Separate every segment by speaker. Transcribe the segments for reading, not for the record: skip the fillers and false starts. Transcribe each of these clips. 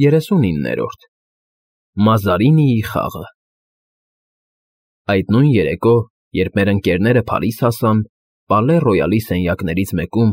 Speaker 1: 39-րդ Մազարինիի խաղը Այդ նույն երեկո, երբ մեր ընկերները Փարիզ հասան, Պալե Ռոյալի սենյակներից մեկում,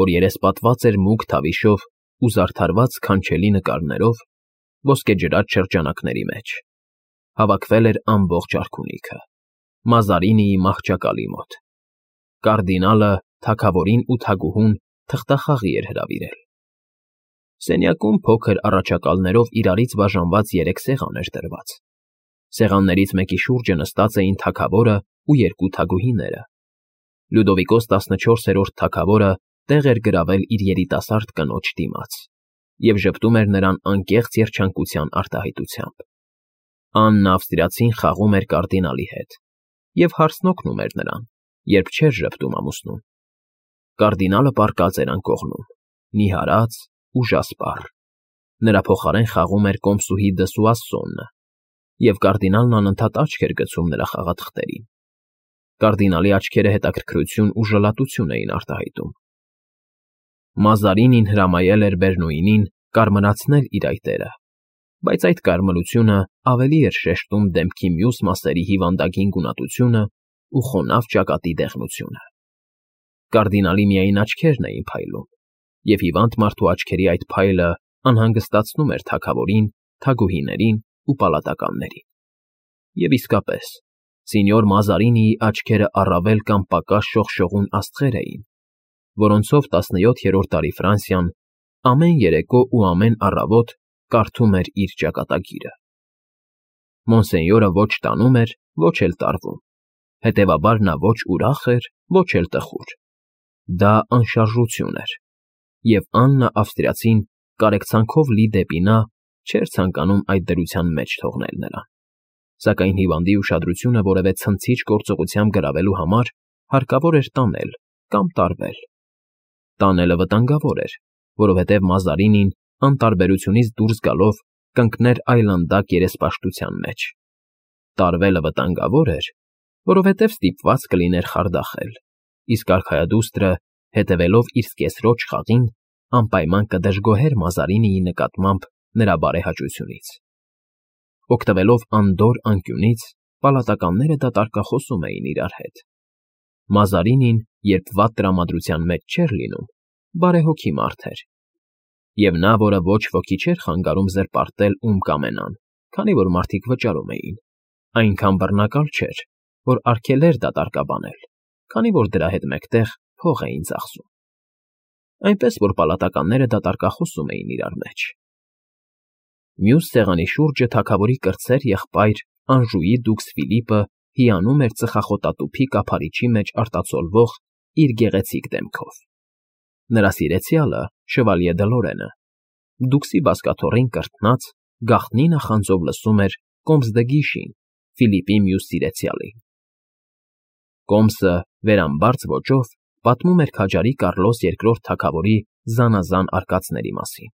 Speaker 1: որ երեսպատված էր մուգ թավիշով ու զարդարված քանչելի նկարներով, ոսկեջրած շրջանակների մեջ, հավաքվել էր ամբողջ արքունիքը, Մազարինիի մահճակալի մոտ։ Կարդինալը թագավորին ու թագուհուն թղթախաղի էր հրավիրել։ Սենյակում փոքր առաջակալներով իրարից բաժանված 3 սեղան էր դրված։ Սեղաններից մեկի շուրջը նստած էին թագավորը ու 2 թագուհիները։ Լյուդովիկոս 14-րդ թագավորը տեղ էր գրավել իր երիտասարդ կնոջ դիմաց և ժպտում էր նրան անկեղծ երջանկության արտահայտությամբ։ Աննա ավստրիացին խաղում էր կարդինալի հետ և հարցնօգնում էր նրան, երբ չէր ժպտում ամուսնուն։ Կարդինալը պառկած էր անկողնում, նիհարած, ուժասպառ։ Նրա փոխարեն խաղում էր կոմսուհի դը Սուասոնը, և կարդինալն անընդհատ աչք էր գցում նրա խաղաթղթերին։ Կարդինալի աչքերը հետաքրքրություն ու ժլատություն էին արտահայտում։ Մազարինին հրամայել էր Բերնոյին կարմրացնել իր այտերը, բայց այդ կարմրությունը ավելի էր շեշտում դեմքի մյուս մասերի հիվանդագին գունատությունը ու խոնավ ճակատի դեղնությունը։ Կարդինալի միայն աչքերն էին փայլում, և հիվանդ մարդու աչքերի այդ փայլը անհանգստացնում էր թագավորին, թագուհիներին ու պալատականներին։ Եվ իսկապես, սենյոր Մազարինիի աչքերը առավել կամ պակաս շողշողուն աստղեր էին, որոնցով 17-րդ դարի Ֆրանսիան ամեն երեկո ու ամեն առավոտ կարդում էր իր ճակատագիրը։ Մոնսենյորը ոչ տանում էր, ոչ էլ տարվում, հետևաբար նա ոչ ուրախ էր, ոչ էլ տխուր։ Դա անշարժություն էր, և Աննա ավստրիացին կարեկցանքով լի դեպի նա չէր ցանկանում այդ դրության մեջ թողնել նրան, սակայն հիվանդի ուշադրությունը որևէ ցնցիչ գործողությամբ գրավելու համար հարկավոր էր տանել կամ տարվել։ Տանելը վտանգավոր էր, որովհետև Մազարինին անտարբերությունից դուրս գալով կընկներ այլանդակ երեսպաշտության մեջ։ Տարվելը վտանգավոր էր, որովհետև ստիպված կլիներ խարդախել, իսկ արքայադուստրը, հետևելով իր սկեսրոջ խաղին, անպայման կդժգոհեր Մազարինիի նկատմամբ նրա բարեհաճությունից։ Օգտվելով անդորր անկյունից, պալատականները դատարկախոսում էին իրար հետ։ Մազարինին, երբ վատ տրամադրության մեջ չէր լինում, բարեհոգի մարդ էր, և նա, որը ոչ ոքի չէր խանգարում զրպարտել ում կամենան, քանի որ մարդիկ վճարում էին, այնքան բռնակալ չէր, որ արգելեր դատարկաբանել, քանի որ դրա հետ մեկտեղ փող էին ծախսում։ Այնպես որ պալատականները դատարկախոսում էին իրար մեջ։ Մյուս սեղանի շուրջը թագավորի կրտսեր եղբայր Անժուի դուքս Ֆիլիպը հիանում էր ծխախոտատուփի կափարիչի մեջ արտացոլվող իր գեղեցիկ դեմքով։ Նրա սիրեցյալը, շվալյե դը Լորենը, դուքսի բազկաթոռին կրթնած, գաղտնի նախանձով լսում էր Կոմս դը Գիշին, Ֆիլիպի մյուս սիրեցյալին։ Կոմսը վերամբարձ ոճով պատմում էր քաջարի Կարլոս II թագավորի զանազան արկածների մասին։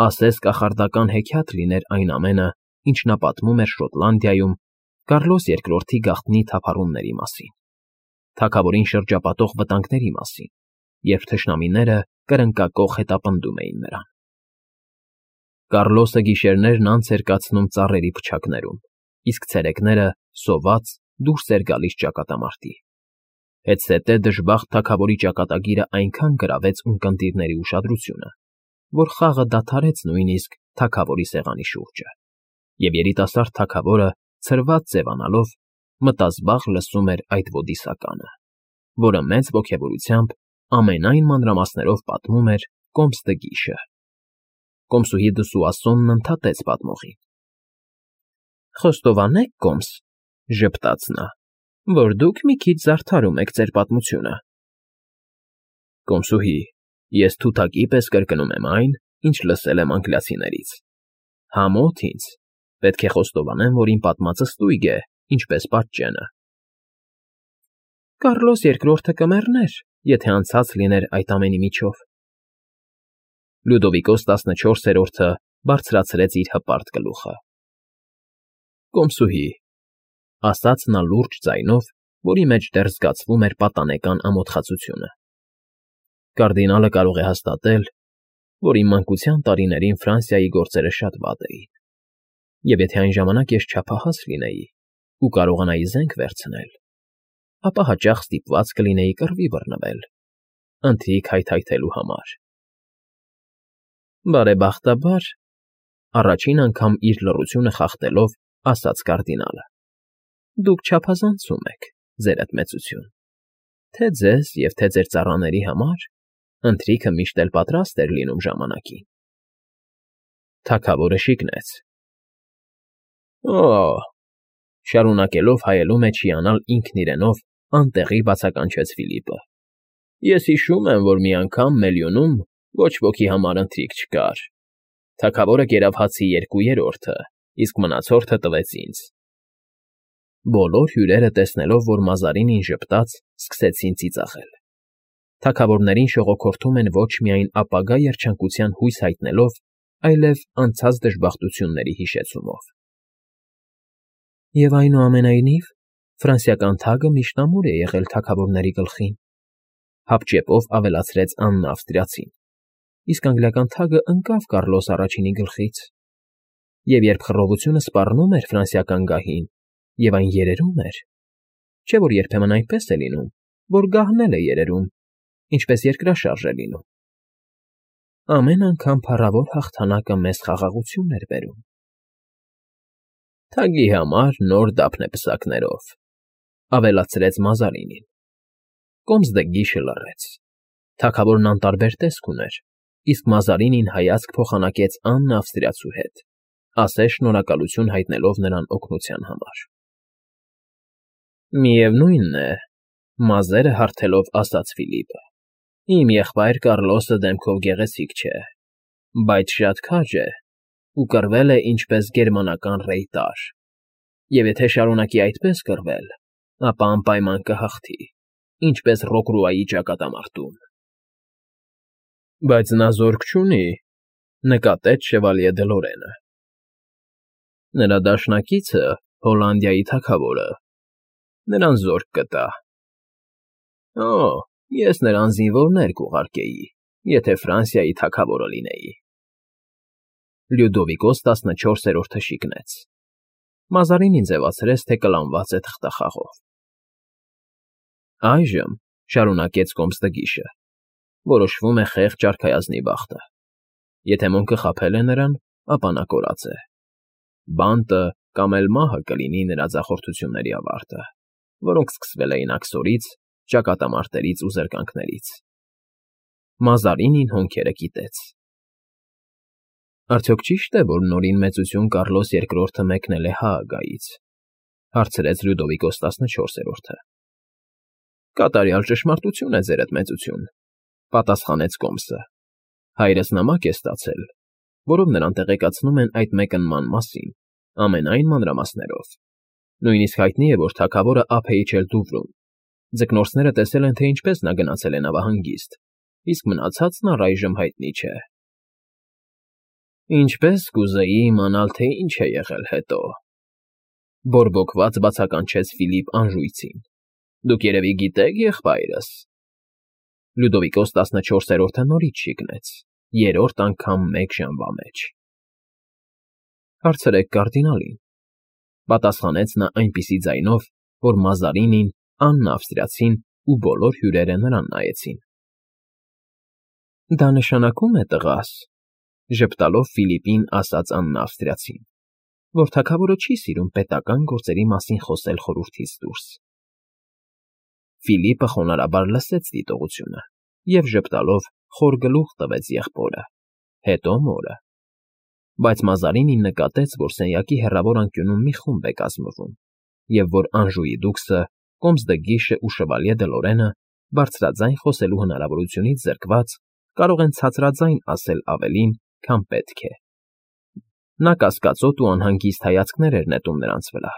Speaker 1: Ասես կախարդական հեքիաթ լիներ այն ամենը, ինչ նա պատմում էր Շոտլանդիայում Կարլոս II-ի գաղտնի թափառումների մասին, թագավորին շրջապատող վտանգների մասին, երբ թշնամիները կրնկակոխ հետապնդում էին նրան։ Կարլոսը գիշերներն անց էր կացնում ծառերի փչակներում, իսկ ցերեկները, սոված, դուրս էր գալիս ճակատամարտի։ Հետզհետե դժբախտ թագավորի ճակատագիրը այնքան գրավեց ունկնդիրների ուշադրությունը, որ խաղը դադարեց նույնիսկ թագավորի սեղանի շուրջը, և երիտասարդ թագավորը, ցրված ձևանալով, մտազբաղ լսում էր այդ ոդիսականը, որը մեծ ոգևորությամբ ամենայն մանրամասներով պատմում էր Կոմս դը Գիշը։ Կոմսուհի դը Սուասոնն ընդհատեց պատմողին։ Խոստովանեք, Կոմս, ժպտաց նա, որ դուք մի քիչ զարդարում եք ձեր պատմությունը։ Կոմսուհի, ես թութակի պես կրկնում եմ այն, ինչ լսել եմ անգլիացիներից։ Համոթ ինձ, պետք է խոստովանեմ, որ իմ պատմածը ստույգ է, ինչպես պատճենը։ Կարլոս II կմեռներ, եթե անցած լիներ այդ ամենի միջով։ Լյուդովիկոս 14-րդը բարձրացրեց իր հպարտ գլուխը։ Կոմսուհի, ասաց նա լուրջ ձայնով, որի մեջ դեռ զգացվում էր պատանեկան ամոթխածությունը։ Կարդինալը կարող է հաստատել, որ իմ մանկության տարիներին Ֆրանսիայի գործերը շատ վատ էին, և եթե այն ժամանակ ես չափահաս լինեի ու կարողանայի զենք վերցնել, ապա հաճախ ստիպված կլինեի կռվի բռնվել, ընթրիք հայթայթելու համար։ Բարեբախտաբար, առաջին անգամ իր լռությունը խախտելով, ասաց կարդինալը. դուք չափազանցում եք, ձերդ մեծություն, թե ձեզ և թե ձեր ծառաների համար ընթրիքը միշտ էլ պատրաստ էր լինում ժամանակին։ Թագավորը շիկնեց։ Օ՜, շարունակելով հայելու մեջ հիանալ ինքն իրենով, անտեղի բացականչեց Ֆիլիպը։ Ես հիշում եմ, որ մի անգամ Մելյոնում ոչ ոքի համար ընթրիք չկար։ Թագավորը կերավ հացի 2/3, իսկ մնացորդը տվեց ինձ։ Բոլոր հյուրերը, տեսնելով, որ Մազարինին ժպտաց, սկսեցին ծիծաղել։ Թագավորներին շողոքորթում են ոչ միայն ապագա երջանկության հույս հայտնելով, այլև անցած դժբախտությունների հիշեցումով։ Եվ այնուամենայնիվ, ֆրանսիական թագը միշտ ամուր է եղել թագավորների գլխին, հապճեպով ավելացրեց Աննա Ավստրիացին, իսկ անգլիական թագը ընկավ Կառլոս առաջինի գլխից, և երբ խռովությունը սպառնում էր ֆրանսիական գահին, և այն երերում էր, չէ՞ որ երբեմն այնպես է լինում, որ գահն էլ է երերում, ինչպես երկրաշարժ է լինում։ Ամեն անգամ փառավոր հաղթանակը մեզ խաղաղություն էր բերում։ Թագի համար նոր դափնեպսակներով, ավելացրեց Մազարինին։ Կոմսդգիշը լռեց։ Թագավորն անտարբեր տեսք ուներ, իսկ Մազարինին հայացք փոխանակեց Աննա Ավստրիացու հետ, ասես շնորհակալություն հայտնելով նրան օգնության համար։ Միևնույնն է, մազերը հարթելով ասաց Ֆիլիպը, իմ եղբայր Կառլոսը դեմքով գեղեցիկ չէ, բայց շատ քաջ է ու կռվել է ինչպես գերմանական ռեյտար, և եթե շարունակի այդպես կռվել, ապա անպայման կհաղթի, ինչպես Ռոկրուայի ճակատամարտում։ Բայց նա զորք չունի, նկատեց Շևալյե դը Լորենը։ Նրա դաշնակիցը, Հոլանդիայի թագավորը, նրան զորք կտա։ Օ, ես նրան զինվորներ կուղարկեի, եթե Ֆրանսիայի թագավորը լինեի։ Լյուդովիկոս 14-րդը շիկնեց։ Մազարինին ձևացրեց, թե կլանված է թղթախաղով։ Այժմ, շարունակեց Կոմսդգիշը, որոշվում է խեղճ արքայազնի բախտը։ Եթե մոնքը խաբել է նրան, ապա նա կորած է։ Բանտը կամ էլ մահը կլինի նրա ձախորդությունների ավարտը, որոնք սկսվել էին աքսորից, ճակատամարտերից ու զրկանքներից։ Մազարինին հոնքերը կիտեց։ Արդյոք ճիշտ է, որ նորին մեծություն Կառլոս II-ը մեկնել է Հաագայից, հարցրեց Լյուդովիկոս 14-րդը։ Կատարյալ ճշմարտություն է, ձերդ մեծություն, պատասխանեց Կոմսը։ Հայրս նամակ է ստացել, որով նրան տեղեկացնում են այդ մեկնման մասին, ամենայն մանրամասներով։ Նույնիսկ հայտնի է, որ թագավորը ափ է իջել Դուվրում։ Ձկնորսները տեսել են, թե ինչպես նա գնացել է նավահանգիստ, իսկ մնացածն առայժմ հայտնի չէ։ Ինչպես կուզեի իմանալ, թե ինչ է եղել հետո, բորբոքված բացականչեց Ֆիլիպ Անժույցին։ Դուք երևի գիտեք, եղբայրս։ Լյուդովիկոս 14-րդը նորից շիկնեց, երրորդ անգամ մեկ ժամվա մեջ։ Հարցրեք կարդինալին, պատասխանեց նա այնպիսի ձայնով, որ Մազարինին, Աննա Ավստրիացին ու բոլոր հյուրերը նրան նայեցին։ Դա նշանակում է, տղաս, ժպտալով Ֆիլիպին ասաց Աննա Ավստրիացին, որ թագավորը չի սիրում պետական գործերի մասին խոսել խորհրդից դուրս։ Ֆիլիպը խոնարհաբար լսեց դիտողությունը և ժպտալով խոր գլուխ տվեց եղբորը, հետո մորը։ Բայց Մազարինին նկատեց, որ սենյակի հեռավոր անկյունում մի խումբ է կազմվում, և որ Անժուի դուքսը, Կոմսդգիշը ու Շևալյե դը Լորենը բարձրաձայն խոսելու հնարավորությունից զրկված կարող են ցածրաձայն ասել ավելին, քան պետք է։ Նա կասկածոտ ու անհանգիստ հայացքներ էր նետում նրանց վրա,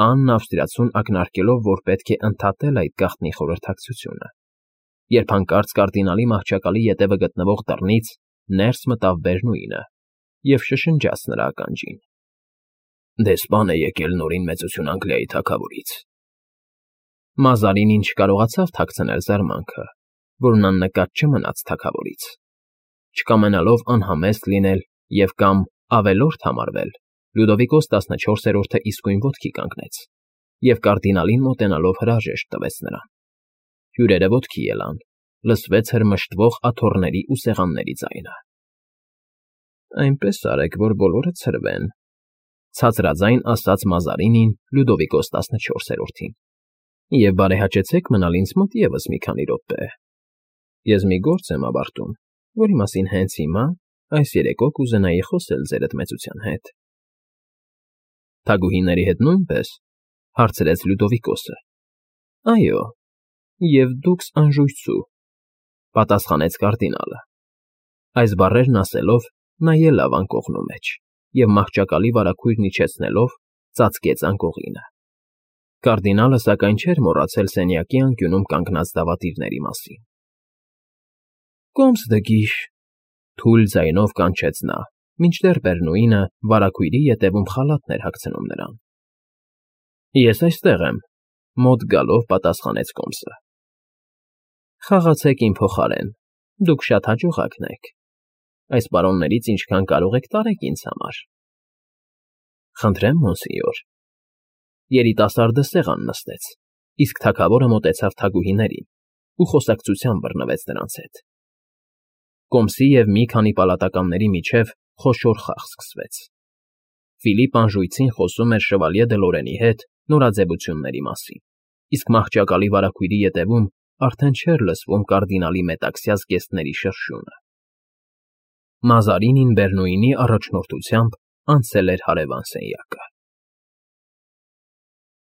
Speaker 1: Աննա Ավստրիացուն ակնարկելով, որ պետք է ընդհատել այդ գաղտնի խորհրդակցությունը, երբ հանկարծ կարդինալի մահճակալի ետևը գտնվող դռնից ներս մտավ Բերնուինը և շշնջաց նրա ականջին. Դեսպան է եկել նորին մեծություն Անգլիայի թագավորից։ Մազարինին չկարողացավ թաքցնել զարմանքը, որն աննկատ չմնաց թագավորից։ Չկամենալով անհամեստ լինել և կամ ավելորդ համարվել, Լյուդովիկոս 14-րդը իսկույն ոտքի կանգնեց և կարդինալին մոտենալով հրաժեշտ տվեց նրան։ Հյուրերը ոտքի ելան, լսվեց հրմշտվող աթոռների ու սեղանների ձայնը։ «Այնպես արեք, որ բոլորը ցրվեն,֊ ցածրաձայն ասաց Մազարինին Լյուդովիկոս 14-րդին,֊ և բարեհաճեցեք մնալ ինձ մոտ ևս մի քանի րոպե. ես մի գործ եմ ավարտում, որի մասին հենց հիմա, այս երեկո կուզենայի խոսել ձեր ընդմեծության հետ»։ Թագուհիների հետ նույնպե՞ս,֊ հարցրեց Լյուդովիկոսը։ «Այո, և դուքս անժուйցու,֊ պատասխանեց կարդինալը։ Այս բառերն ասելով՝ նա ելավ անկողնու մեջ և մահճակալի վարագույրն իջեցնելով՝ ծածկեց անկողինը։ Կարդինալը, սակայն, չէր մոռացել սենյակի անկյունում կանգնած դավադիրների մասին։ «Կոմս դգիշ,֊ թույլ ձայնով կանչեց նա, մինչդեռ Բերնուինը վարագույրի ետևում խալաթն էր հագցնում նրան։ «Ես այստեղ եմ,֊ մոտ գալով պատասխանեց կոմսը։ Խաղացեք իմ փոխարեն, դուք շատ հաջողակն եք։ Այս պարոններից ինչքան կարող եք տարեք ինձ համար»։ «Խնդրեմ, մոնսենյոր»։ Երիտասարդը սեղան նստեց, իսկ թագավորը մոտեցավ թագուհիներին ու խոսակցության բռնվեց նրանց հետ։ Կոմսի և մի քանի պալատականների միջև խոշոր խաղ սկսվեց։ Ֆիլիպ անժույցին խոսում էր շվալյե Դլորենի հետ նորաձևությունների մասին, իսկ մահճակալի վարագույրի ետևում արդեն չէր լսվում կարդինալի մետաքսյա զգեստների շրշյունը։ Մազարինին Բերնուինի առաջնորդությամբ անցել էր հարևան սենյակը։